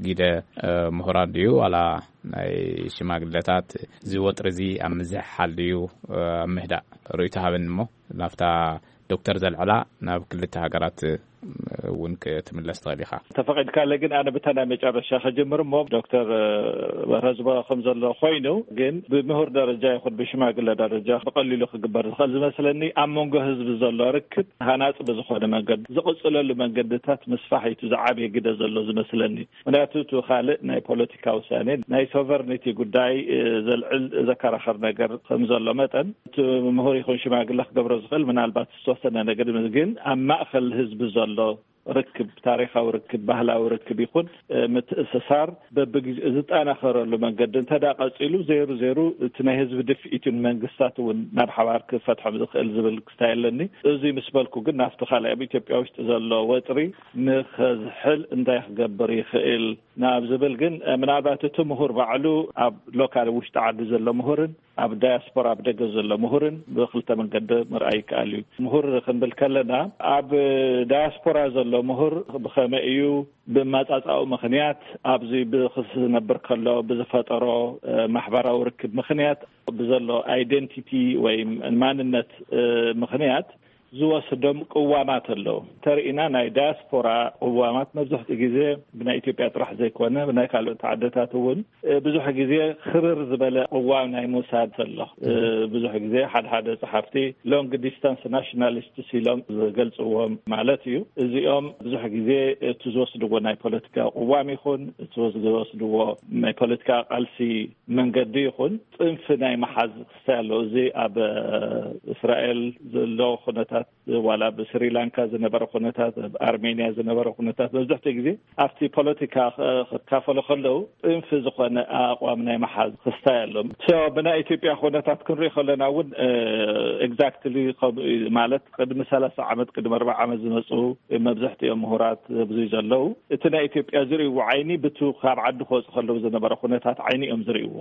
ግደ፣ እ፣ ምሁራን ድዩ ዋላ ናይ ሽማግለታት እዚ ወጥሪ እዚ ኣብ ምዝሕሓል ድዩ፣ እ፣ ኣብ ምህዳእ ርእይቶ ሃበኒ እሞ ናብታ ዶክተር ዘልዕላ ናብ ክልተ ሃገራት እውን ክትምለስ ትኽእል ኢኻ። ተፈቒድካለ ግን ኣነ ብታ ናይ መጨረሻ ከጀምር እሞ ዶክተር በርሀ ዝበሎ ከም ዘሎ ኮይኑ ግን ብምሁር ደረጃ ይኹን ብሽማግለ ደረጃ ብቐሊሉ ክግበር ዝኽእል ዝመስለኒ ኣብ መንጎ ህዝቢ ዘሎ ርክብ ሃናፂ ብዝኾነ መንገዲ ዝቕፅለሉ መንገድታት ምስፋሕ እዩ እቲ ዝዓበየ ግደ ዘሎ ዝመስለኒ። ምክንያቱ እቲ ካልእ ናይ ፖለቲካ ውሳኔ ናይ ሶቨርኒቲ ጉዳይ፣ እ፣ ዘልዕል ዘከራኸር ነገር ከም ዘሎ መጠን እቲ ምሁር ይኹን ሽማግለ ክገብሮ ዝኽእል ምናልባት ዝተወሰነ ነገር ግን ኣብ ማእከል ህዝቢ ዘሎ ርክብ፣ ታሪኻዊ ርክብ፣ ባህላዊ ርክብ ይኹን፣ እ፣ ምትእስሳር በብግዜኡ ዝጠናኸረሉ መንገዲ እንተ ደኣ ቀጺሉ ዘይሩ ዘይሩ እቲ ናይ ህዝቢ ድፍኢት እዩ ንመንግስታት እውን ናብ ሓባር ክፈትሖም ዝኽእል ዝብል ክስታይ ኣለኒ። እዚ ምስ በልኩ ግን ናብቲ ካልእ ኣብ ኢትዮጵያ ውሽጢ ዘሎ ወጥሪ ንኸዝሕል እንታይ ክገብር ይኽእል ናብ ዝብል ግን፣ እ፣ ምናልባት እቲ ምሁር ባዕሉ ኣብ ሎካል ውሽጢ ዓዲ ዘሎ ምሁርን ኣብ ዳያስፖራ፣ ኣብ ደገ ዘሎ ምሁርን ብክልተ መንገዲ ምርኣይ ይከኣል እዩ። ምሁር ክንብል ከለና፣ ኣብ ዳያስፖራ ዘሎ ምሁር ብኸመይ እዩ፣ ብመጻጻኡ ምኽንያት፣ ኣብዚ ብክስ ዝነብር ከሎ ብዝፈጠሮ ማሕበራዊ ርክብ ምኽንያት፣ ብዘሎ ኣይደንቲቲ ወይ ማንነት ምኽንያት ዝወስዶም ቅዋማት ኣለዉ። ተርኢና፣ ናይ ዳያስፖራ ቅዋማት መብዛሕትኡ ግዜ ብናይ ኢትዮጵያ ጥራሕ ዘይኮነ፣ ብናይ ካልኦት ዓድታት እውን ብዙሕ ግዜ ክርር ዝበለ ቅዋም ናይ ምውሳድ ኣሎ። ብዙሕ ግዜ ሓደ ሓደ ጸሓፍቲ ሎንግ ዲስታንስ ናሽናሊስትስ ኢሎም ዝገልጽዎም ማለት እዩ። እዚኦም ብዙሕ ግዜ እቲ ዝወስድዎ ናይ ፖለቲካ ቅዋም ይኹን፣ እቲ ዝወስድዎ ናይ ፖለቲካ ቃልሲ መንገዲ ይኹን፣ ጽንፊ ናይ መሓዝ ክስታይ ኣሎ። እዚ ኣብ እስራኤል ዘሎ ኩነታት፣ ዋላ ኣብ ስሪላንካ ዝነበረ ኩነታት፣ ኣብ ኣርሜንያ ዝነበረ ኩነታት፣ መብዛሕትኡ ግዜ ኣብቲ ፖለቲካ ክካፈሉ ከለዉ ጽንፊ ዝኾነ ኣቋም ናይ መሓዝ ክስታይ ኣሎ። ብናይ ኢትዮጵያ ኩነታት ክንሪኢ ከለና እውን ኤግዛክትሊ ከምኡ እዩ። ማለት፣ ቅድሚ ሰላሳ ዓመት፣ ቅድሚ ኣርባዓ ዓመት ዝመፁ መብዛሕትኦም ምሁራት ኣብዚ ዘለዉ፣ እቲ ናይ ኢትዮጵያ ዝርእይዎ ዓይኒ ብቱ ካብ ዓዲ ክወፁ ከለዉ ዝነበረ ኩነታት ዓይኒ እዮም ዝርእይዎ።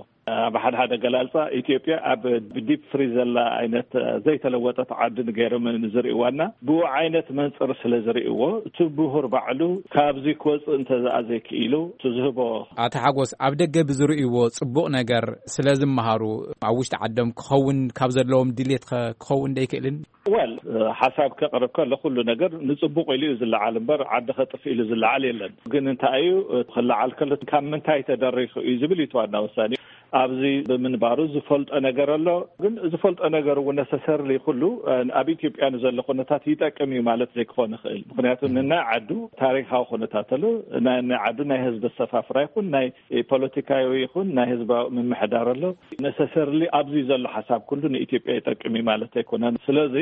ኣብ ሓደ ሓደ ገላልፃ፣ ኢትዮጵያ ኣብ ዲፕ ፍሪዝ ዘላ ዓይነት ዘይተለወጠት ዓዲ ንገይሮም ዝርእይዋና፣ ብኡ ዓይነት መንፅር ስለ ዝርእይዎ፣ እቲ ምሁር ባዕሉ ካብዚ ክወፅእ እንተዘኣ ዘይክኢሉ፣ እቲ ዝህቦ ኣቶ ሓጎስ፣ ኣብ ደገ ብዝርእይዎ ጽቡቕ ነገር ስለ ዝመሃሩ፣ ኣብ ውሽጢ ዓዶም ክኸውን ካብ ዘለዎም ድሌት ከ ክኸውን ዶ ኣይክእልን? ወል፣ ሓሳብ ከቕርብ ከሎ፣ ኩሉ ነገር ንጽቡቕ ኢሉ እዩ ዝለዓል እምበር፣ ዓዲ ከጥፍ ኢሉ ዝለዓል የለን። ግን እንታይ እዩ፣ ክለዓል ከሎ ካብ ምንታይ ተደሪኹ እዩ ዝብል እዩ እቲ ዋና ወሳኒ። ኣብዚ ብምንባሩ ዝፈልጦ ነገር ኣሎ። ግን ዝፈልጦ ነገር እውን ነሰሰርሊ ኩሉ ኣብ ኢትዮጵያ ንዘሎ ኩነታት ይጠቅም እዩ ማለት ዘይክኾን ይኽእል። ምክንያቱ ንናይ ዓዱ ታሪካዊ ኩነታት ኣሎ። ናይ፣ ናይ ዓዱ ናይ ህዝቢ ኣሰፋፍራ ይኹን ናይ ፖለቲካዊ ይኹን ናይ ህዝባዊ ምምሕዳር ኣሎ። ነሰሰርሊ ኣብዚ ዘሎ ሓሳብ ኩሉ ንኢትዮጵያ ይጠቅም እዩ ማለት ኣይኮነን። ስለዚ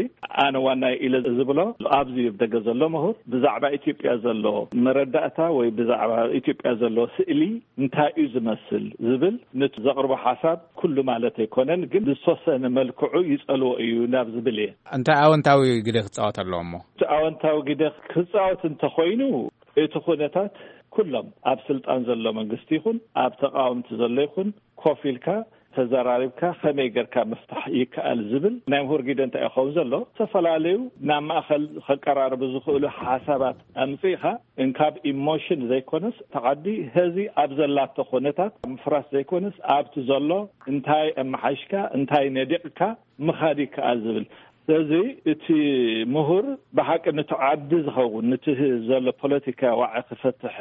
ኣነ ዋና ኢለ ዝብሎ፣ ኣብዚ ኣብ ደገ ዘሎ ምሁር ብዛዕባ ኢትዮጵያ ዘሎ መረዳእታ ወይ ብዛዕባ ኢትዮጵያ ዘሎ ስእሊ እንታይ እዩ ዝመስል ዝብል፣ ነቲ ዘቕርቦ ሓሳብ ኩሉ ማለት ኣይኮነን፣ ግን ብዝተወሰነ መልክዑ ይጸልዎ እዩ ናብ ዝብል እየ። እንታይ ኣወንታዊ ግደ ክጻወት ኣለዎ እሞ? እቲ ኣወንታዊ ግደ ክጻወት እንተኾይኑ፣ እቲ ኩነታት ኩሎም ኣብ ስልጣን ዘሎ መንግስቲ ይኹን ኣብ ተቃወምቲ ዘሎ ይኹን ኮፍ ኢልካ ተዘራሪብካ ከመይ ጌርካ ምፍታሕ ይከኣል ዝብል ናይ ምሁር ግደ እንታይ ይኸውን ዘሎ? ዝተፈላለዩ ናብ ማእከል ከቀራርቡ ዝኽእሉ ሓሳባት ኣምጺእኻ፣ እንካብ ኢሞሽን ዘይኮነስ፣ ተዓዲ ሀዚ ኣብ ዘላቶ ኩነታት ምፍራስ ዘይኮነስ፣ ኣብቲ ዘሎ እንታይ ኣመሓይሽካ፣ እንታይ ነዲቕካ ምኻድ ይከኣል ዝብል። ስለዚ እቲ ምሁር ብሓቂ ነቲ ዓዲ ዝኸውን፣ ነቲ ዘሎ ፖለቲካ ዋዒ ክፈትሕ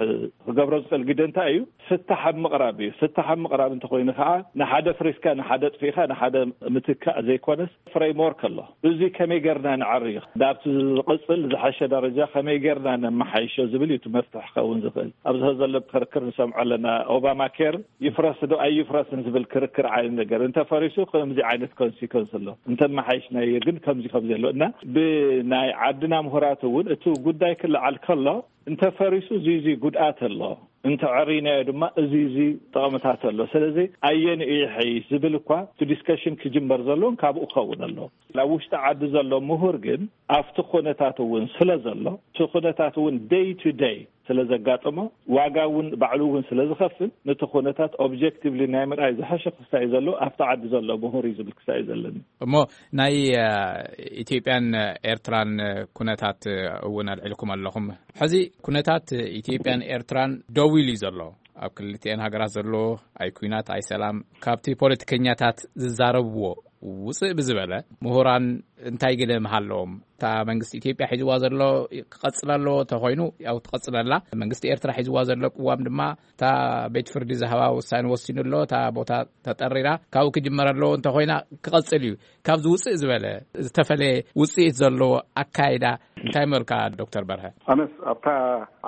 ክገብሮ ዝኽእል ግደ እንታይ እዩ? ፍታሕ ኣብ ምቕራብ እዩ። ፍታሕ ኣብ ምቕራብ እንተኾይኑ ከዓ፣ ንሓደ ፍሪስካ፣ ንሓደ ጥፊእካ፣ ንሓደ ምትካእ ዘይኮነስ፣ ፍሬምወርክ ኣሎ። እዚ ከመይ ጌርና ንዓርዮ፣ ናብቲ ዝቕጽል ዝሓሸ ደረጃ ከመይ ጌርና ነመሓይሾ ዝብል እዩ እቲ መፍትሒ ክኸውን ዝኽእል። ኣብዚ ዘሎ ክርክር ንሰምዖ ኣለና። ኦባማ ኬር ይፍረስ ዶ ኣይፍረስን ዝብል ክርክር ዓይነት ነገር። እንተ ፈሪሱ ከምዚ ዓይነት ኮንሲኮንስ ኣሎ። እንተ መሓይሽናዮ ግን ከምዚ ከምዚ ኣሎ። እና ብናይ ዓድና ምሁራት እውን እቲ ጉዳይ ክለዓል ከሎ፣ እንተ ፈሪሱ እዚ፣ እዚ ጉድኣት ኣሎ፣ እንተ ዕሪናዮ ድማ እዚ፣ እዚ ጥቕምታት ኣሎ። ስለዚ ኣየን እዩ ይሐይሽ ዝብል እኳ እቲ ዲስከሽን ክጅመር ዘለዎን ካብኡ ክኸውን ኣሎ። ኣብ ውሽጢ ዓዲ ዘሎ ምሁር ግን ኣብቲ ኩነታት እውን ስለ ዘሎ፣ እቲ ኩነታት እውን ደይ ቱ ደይ ስለ ዘጋጥሞ፣ ዋጋ እውን ባዕሉ እውን ስለ ዝኸፍል፣ ነቲ ኩነታት ኦብጀክቲቭሊ ናይ ምርኣይ ዝሐሸ ክስታይ ዘሎ ኣብቲ ዓዲ ዘሎ ምሁር እዩ ዝብል ክስታይ እዩ ዘለኒ። እሞ ናይ፣ እ፣ ኢትዮጵያን ኤርትራን ኩነታት እውን ኣልዒልኩም ኣለኹም። ሕዚ ኩነታት ኢትዮጵያን ኤርትራን ደው ኢሉ እዩ ዘሎ። ኣብ ክልቲኤን ሃገራት ዘሎ ኣይ ኩናት ኣይ ሰላም፣ ካብቲ ፖለቲከኛታት ዝዛረብዎ ውፅእ ብዝበለ፣ ምሁራን እንታይ ግደ ምሃለዎም? እታ መንግስቲ ኢትዮጵያ ሒዝዋ ዘሎ ክቐጽል ኣለዎ፣ እንተኾይኑ ያው ትቐጽለላ። መንግስቲ ኤርትራ ሒዝዋ ዘሎ ቅዋም ድማ፣ እታ ቤት ፍርዲ ዝሃባ ውሳኔ ወሲኑ ኣሎ፣ እታ ቦታ ተጠሪራ ካብኡ ክጅመር ኣለዎ፣ እንተኾይና ክቐጽል እዩ። ካብዚ ውፅእ ዝበለ፣ ዝተፈለየ ውፅኢት ዘለዎ ኣካይዳ እንታይ መልካ፣ ዶክተር በርሀ? ኣነስ ኣብታ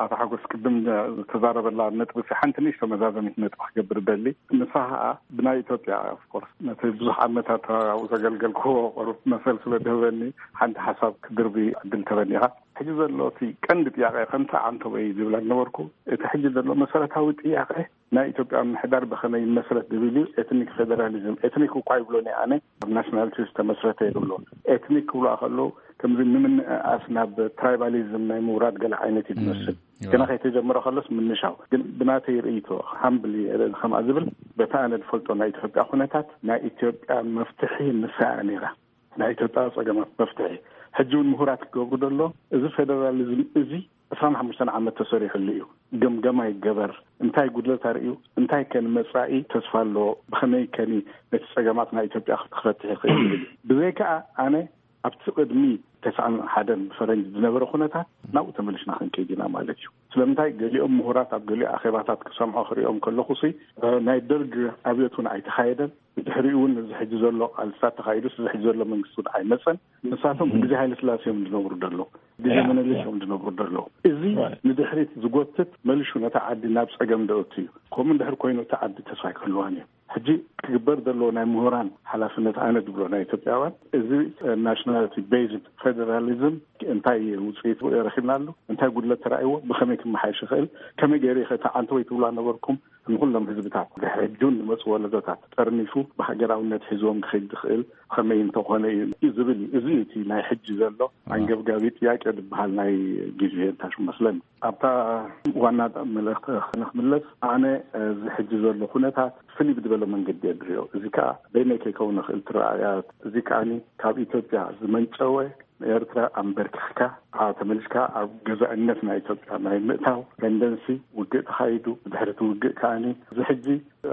ኣቶ ሓጎስ ቅድም ዝተዛረበላ ነጥቢ፣ ሲ ሓንቲ ንእሽቶ መዛዘሚት ነጥቢ ክገብር ደሊ። ንሳ ኸዓ ብናይ ኢትዮጵያ፣ ኦፍኮርስ፣ ነቲ ብዙሕ ዓመታት ኣብኡ ዘገልገልክዎ ቁሩብ መሰል ስለ ክህበኒ ሓንቲ ሓሳብ ክድርቢ ዕድል ተበኒኻ። ሕጂ ዘሎ እቲ ቀንዲ ጥያቄ ከምታ ዓንተቦይ ዝብላ ነበርኩ። እቲ ሕጂ ዘሎ መሰረታዊ ጥያቄ ናይ ኢትዮጵያ ምሕዳር ብኸመይ ይመስረት ዝብል እዩ። ኤትኒክ ፌደራሊዝም፣ ኤትኒክ እኳ ይብሎን እየ ኣነ፣ ኣብ ናሽናሊቲ ዝተመስረተ ይብሎ። ኤትኒክ ክብሎ ከለዉ ከምዚ ንምንእኣስ ናብ ትራይባሊዝም ናይ ምውራድ ገለ ዓይነት እዩ ዝመስል። ግና ከይተጀመረ ከሎስ ምንሻው። ግን ብናተይ ርእይቶ፣ ሃምብሊ ከምኣ ዝብል፣ በታ ኣነ ዝፈልጦ ናይ ኢትዮጵያ ኩነታት፣ ናይ ኢትዮጵያ መፍትሒ ንሳ እያ ነይራ። ናይ ኢትዮጵያ ጸገማት መፍትሒ። ሕጂ እውን ምሁራት ክገብሩ ዘሎ፣ እዚ ፌደራሊዝም እዚ ዕስራን ሓሙሽተን ዓመት ተሰሪሕሉ እዩ። ገምገማ ይገበር። እንታይ ጉድለት ኣርእዩ፣ እንታይ ከ ንመጻኢ ተስፋ ኣለዎ፣ ብኸመይ ከኒ ነቲ ጸገማት ናይ ኢትዮጵያ ክፈትሕ ይኽእል ይብል። ብዘይከኣ ኣነ ኣብቲ ቅድሚ ተስዓን ሓደን ብፈረንጅ ዝነበረ ኩነታት ናብኡ ተመሊስና ክንከይድ ኢና ማለት እዩ። ስለምንታይ ገሊኦም ምሁራት ኣብ ገሊኡ ኣኼባታት ክሰምዖ ክሪኦም ከለኹ ሲ፣ እ፣ ናይ ደርግ ኣብዮት እውን ኣይተኻየደን። ብድሕሪኡ እውን እዚ ሕጂ ዘሎ ቃልስታት ተኻይዱስ እዚ ሕጂ ዘሎ መንግስቲ እውን ኣይመጸን። ንሳቶም ብግዜ ሃይለ ስላሴ እዮም ዝነብሩ ዘለዉ፣ ግዜ ያ፣ መነሊስ ያ። እዮም ዝነብሩ ዘለዉ። እዚ ራይት። ንድሕሪት ዝጎትት መሊሹ ነታ ዓዲ ናብ ጸገም ደእቱ እዩ። ከምኡ እንድሕር ኮይኑ እታ ዓዲ ተስፋ ኣይክህልዋን እዩ። ሕጂ ክግበር ዘለዎ ናይ ምሁራን ሓላፍነት ኣነ ዝብሎ ናይ ኢትዮጵያውያን፣ እዚ ናሽናሊቲ ቤዝድ ፌደራሊዝም እንታይ ውፅኢት ረኺብናሉ፣ እንታይ ጉድለት ተራእይዎ፣ ብኸመይ ክመሓየሽ ይኽእል፣ ከመይ ገይሩ ይኽእል፣ እታ ዓንተቦይ ትብላ ነበርኩም፣ ንኹሎም ህዝብታት፣ ድሕሪ ሕጂ እውን ዝመፁ ወለዶታት ጠርኒፉ ብሃገራውነት ሒዝዎም ክኸይድ ዝኽእል ከመይ እንተኾነ እዩ ዝብል እዩ። እዚ እቲ ናይ ሕጂ ዘሎ ኣንገብጋቢ ጥያቄ ዝበሃል ናይ ግዜ እንታሽ መስለኒ። ኣብታ ዋና መልእኽቲ ክንክምለስ፣ ኣነ እዚ ሕጂ ዘሎ ኩነታት ፍልይ ብዝበለ መንገዲ እየ ዝሪኦ። እዚ ከዓ በይነይ ከይከውን ይኽእል እቲ ረኣያ። እዚ ከዓኒ ካብ ኢትዮጵያ ዝመንጨወ፣ ንኤርትራ ኣንበርኪኽካ፣ ኣ፣ ተመሊስካ ኣብ ገዛእነት ናይ ኢትዮጵያ ናይ ምእታው ተንደንሲ ውግእ ተኻይዱ። ብድሕሪ እቲ ውግእ ከዓኒ እዚ ሕጂ፣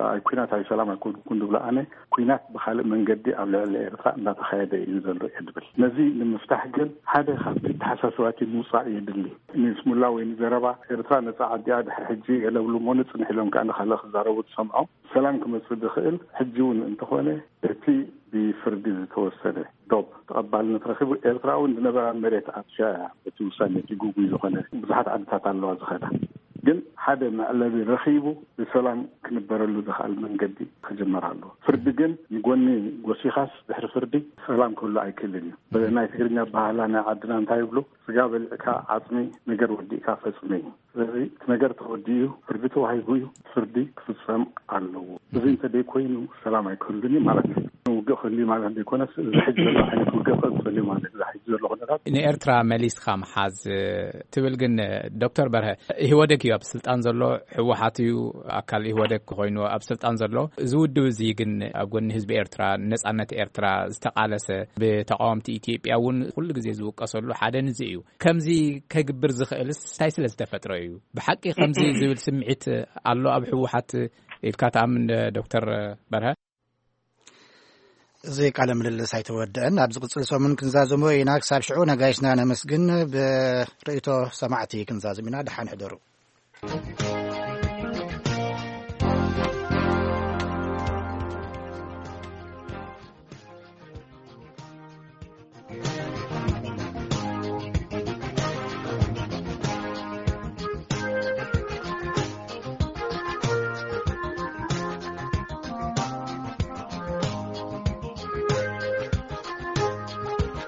ኣይ፣ ኲናት ኣይ ሰላም ኣይኮንኩን ዝብሎ ኣነ፣ ኲናት ብኻልእ መንገዲ ኣብ ልዕሊ ኤርትራ እንዳተኻየደ እዩ ዘሎ እየ ዝብል። ነዚ ንምፍታሕ ግን ሓደ ካብቲ ተሓሳስባቲ ምውፃእ የድሊ። ንስሙላ ወይ ንዘረባ ኤርትራ ነፃ ዓዲያ ድሕሪ ሕጂ ገለ ብሉ እሞ ንጽንሕ ኢሎም ከኣ ንኻልእ ክዛረቡ ትሰምዖም። ሰላም ክመጽእ ዝኽእል ሕጂ እውን እንተኾነ እቲ ብፍርዲ ዝተወሰነ ዶብ ተቐባልነት ረኺቡ። ኤርትራ እውን ዝነበራ መሬት ኣጥፊኣ እያ። እቲ ውሳኔ እቲ ግጉይ ዝኾነ ብዙሓት ዓድታት ኣለዋ ዝኸዳ። ግን ሓደ መዕለቢ ረኺቡ ብሰላም ክንበረሉ ዝኽኣል መንገዲ ክጅመር ኣለዎ። ፍርዲ ግን ንጎኒ ጎሲኻስ ድሕሪ ፍርዲ ሰላም ክህሉ ኣይክእልን እዩ። ብናይ ትግርኛ ኣበሃህላ ናይ ዓድና እንታይ ይብሉ? ስጋ በሊዕካ ዓጽሚ፣ ነገር ወዲእካ ፈጽሚ። ስለዚ እቲ ነገር ተወዲኡ እዩ፣ ፍርዲ ተዋሂቡ እዩ፣ ፍርዲ ክፍጸም ኣለዎ። እዚ እንተ ደይኮይኑ ሰላም ኣይክህሉን እዩ ማለት እዩ። ውግእ ክህሉ እዩ ማለት ዘይኮነስ፣ እዚ ሕጂ ዘሎ ዓይነት ውግእ ክቕጽል እዩ ማለት እዩ። እዚ ሕጂ ዘሎ ኩነታት ንኤርትራ መሊስካ ምሓዝ ትብል ግን፣ ዶክተር በርሀ፣ ኢህወደግ እዩ ኣብ ስልጣን ዘሎ፣ ህወሓት እዩ ኣካል ኢህወደግ ኮይኑ ኣብ ስልጣን ዘሎ። እዚ ውድብ እዚ ግን ኣብ ጎኒ ህዝቢ ኤርትራ፣ ነጻነት ኤርትራ ዝተቓለሰ፣ ብተቃወምቲ ኢትዮጵያ እውን ኩሉ ግዜ ዝውቀሰሉ ሓደ ንዚ እዩ። ከምዚ ከግብር ዝኽእልስ እንታይ ስለ ዝተፈጥረ እዩ? ብሓቂ ከምዚ ዝብል ስምዒት ኣሎ ኣብ ህወሓት ኢልካ ትኣምን ዶክተር በርሀ? እዚ ቃለ ምልልስ ኣይተወድአን። ኣብ ዝቕጽል ሰሙን ክንዛዘሞ ኢና። ክሳብ ሽዑ ነጋይስና ነመስግን። ብርእይቶ ሰማዕቲ ክንዛዘም ኢና። ደሓን ሕደሩ።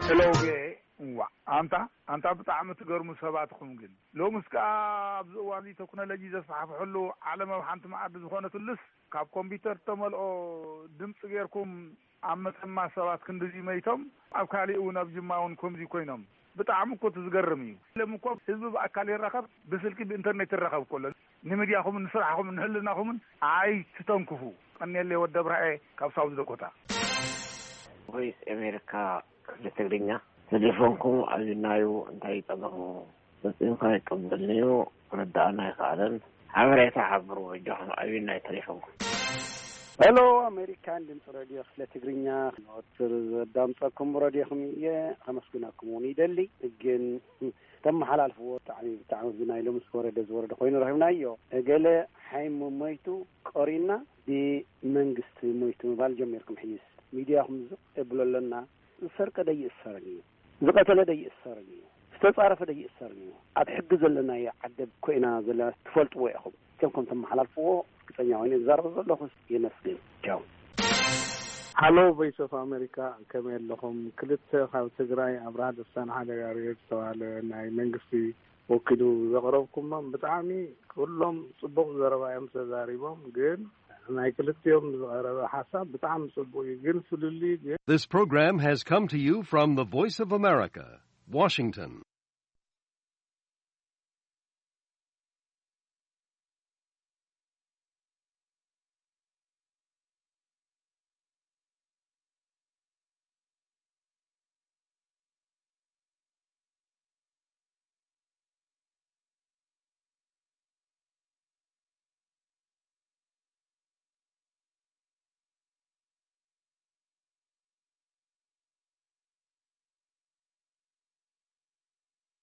ሄሎ፣ ቪኦኤ። እዋእ፣ ኣንታ፣ ኣንታ ብጣዕሚ ትገርሙ ሰባት ኢኹም ግን። ሎምስ ከኣ ኣብዚ እዋን እዚ ቴክኖሎጂ ዘስፋሕፍሐሉ ዓለም ኣብ ሓንቲ መኣዲ ዝኾነትሉስ፣ ካብ ኮምፒውተር እተመልኦ ድምፂ ጌርኩም ኣብ መተማ ሰባት ክንድዚ መይቶም፣ ኣብ ካሊእ እውን ኣብ ጅማ እውን ከምዚ ኮይኖም። ብጣዕሚ እኮ እቲ ዝገርም እዩ። ሎም እኮ ህዝቢ ብኣካል ይራኸብ፣ ብስልኪ ብኢንተርኔት ይራኸብ እኮ ኣሎ። ንሚድያኹምን ንስራሕኹምን ንህልናኹምን ኣይትተንክፉ። ቀንየለይ ወዲ ኣብርሃኤ ካብ ሳውዝ ዳኮታ። ቮይስ ኣሜሪካ ክፍሊ ትግርኛ፣ ቴሌፎንኩም ኣብናዩ እንታይ ጸገሙ? ፈጺምካ ይቀበልንዩ፣ ክርድኣና ኣይከኣለን። ሓበሬታ ሓብሩ በጃኹም ኣብናይ ቴሌፎንኩም። ሄሎ ኣሜሪካን ድምፂ ረድዮ ክፍለ ትግርኛ፣ ወትር ዘዳምፀኩም ረድዮኹም እየ፣ ከመስግነኩም እውን ይደሊ። ግን ተመሓላልፍዎ ብጣዕሚ፣ ብጣዕሚ ብናይ ሎምስ ወረደ ዝወረደ ኮይኑ ረኺብናዮ። እገለ ሓይሙ ሞይቱ ቆሪና ብመንግስቲ ሞይቱ ምባል ጀሚርኩም። ሕይስ ሚድያኹም ዝቕ የብሎ ኣለና። ዝሰርቀ ደይእሰርን እዩ፣ ዝቐተለ ደይእሰርን እዩ፣ ዝተጻረፈ ደይእሰርን እዩ። ኣብ ሕጊ ዘለናዮ ዓደብ ኮይና ዘለና ትፈልጥዎ ኢኹም። ከም ከም ተመሓላልፍዎ ርግጸኛ ኮይነ ዝዛረብ ዘለኹስ የመስግን። ቻው። ሃሎ ቮይስ ኦፍ ኣሜሪካ፣ ከመይ ኣለኹም? ክልተ ካብ ትግራይ ኣብርሃ ደስታን ሓደ ጋርዮት ዝተባህለ ናይ መንግስቲ ወኪሉ ዘቕረብኩሞም ብጣዕሚ ኩሎም ጽቡቕ ዘረባ እዮም ተዛሪቦም። ግን ናይ ክልቲኦም ዝቐረበ ሓሳብ ብጣዕሚ ጽቡቕ እዩ፣ ግን ፍልልይ ግን This program has come to you from the Voice of America, Washington.